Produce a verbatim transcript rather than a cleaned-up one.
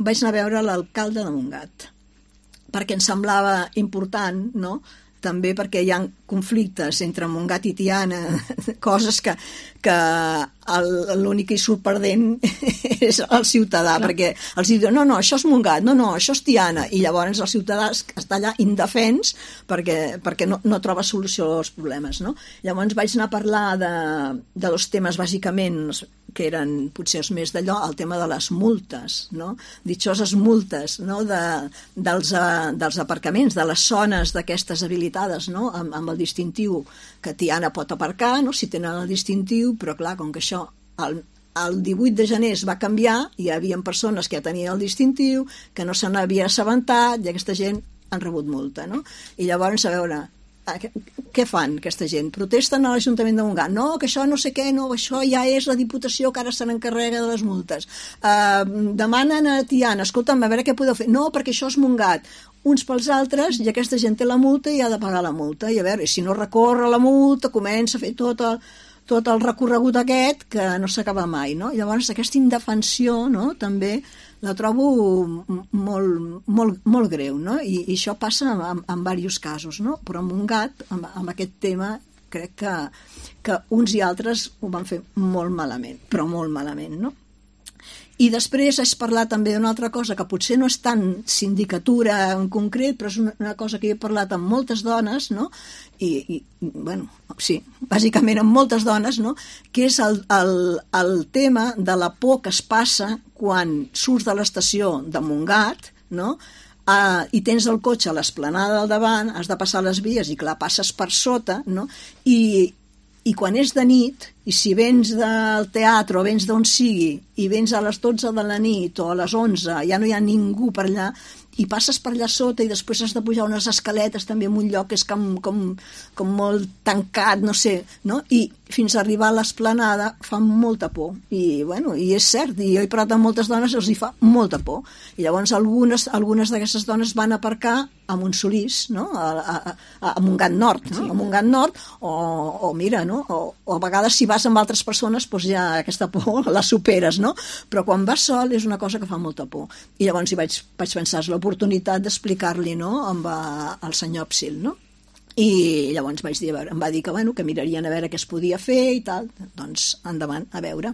vaig anar a veure l'alcalde de Montgat, perquè em semblava important, no?, també perquè hi ha conflictes entre Montgat i Tiana, coses que, que l'únic que hi surt perdent és el ciutadà, clar, perquè els diuen, no, no, això és Montgat, no, no, això és Tiana, i llavors el ciutadà està allà indefens perquè, perquè no, no troba solució als problemes, no? Llavors vaig anar a parlar de, de dos temes bàsicament, que eren potser els més d'allò, el tema de les multes, no? Ditxoses multes, no? De, dels, uh, dels aparcaments, de les zones d'aquestes habilitades, no? Amb, amb el distintiu que Tiana pot aparcar, no? Si tenen el distintiu, però clar, com que això el, el divuit de gener es va canviar, hi havia persones que ja tenien el distintiu, que no se n'havia assabentat, i aquesta gent han rebut multa, no? I llavors, a veure, què fan aquesta gent? Protesten a l'Ajuntament de Montgat, no, que això no sé què, no, això ja és la Diputació que ara se n'encarrega de les multes, uh, demanen a Tiana, escolta'm, a veure què podeu fer, no, perquè això és Montgat, uns pels altres, i aquesta gent té la multa i ha de pagar la multa, i a veure, si no recorre la multa, comença a fer tot el, tot el recorregut aquest que no s'acaba mai, no? Llavors aquesta indefensió, no?, també la trobo molt, molt, molt greu, no? I, i això passa en, en diversos casos, no? Però a Montgat, amb, amb aquest tema, crec que, que uns i altres ho van fer molt malament, però molt malament, no? I després has parlat també d'una altra cosa que potser no és tan sindicatura en concret, però és una, una cosa que he parlat amb moltes dones, no? I, i bueno, sí, bàsicament amb moltes dones, no? Que és el, el, el tema de la por que es passa quan surts de l'estació de Montgat, no?, Uh, i tens el cotxe a l'esplanada del davant, has de passar les vies i clar, passes per sota, no? I, i quan és de nit, i si vens del teatre o vens d'on sigui i vens a les dotze de la nit o a les onze, ja no hi ha ningú per allà, i passes per allà sota i després has de pujar unes escaletes també en un lloc que és com, com, com molt tancat, no sé, no? I fins a arribar a l'esplanada fa molta por, i bueno, i és cert, i jo he parlat amb moltes dones, els hi fa molta por, i llavors algunes, algunes d'aquestes dones van aparcar a Montsolís, no? a, a, a Montgat Nord, no? A Montgat Nord, o, o mira, no? O, o a vegades si vas amb altres persones doncs ja aquesta por la superes, no? Però quan vas sol és una cosa que fa molta por, i llavors hi vaig, vaig pensar, és l'oportunitat d'explicar-li, no?, amb el senyor Psil, no? I llavors vaig dir, a veure, em va dir que, bueno, que mirarien a veure què es podia fer i tal, doncs endavant, a veure.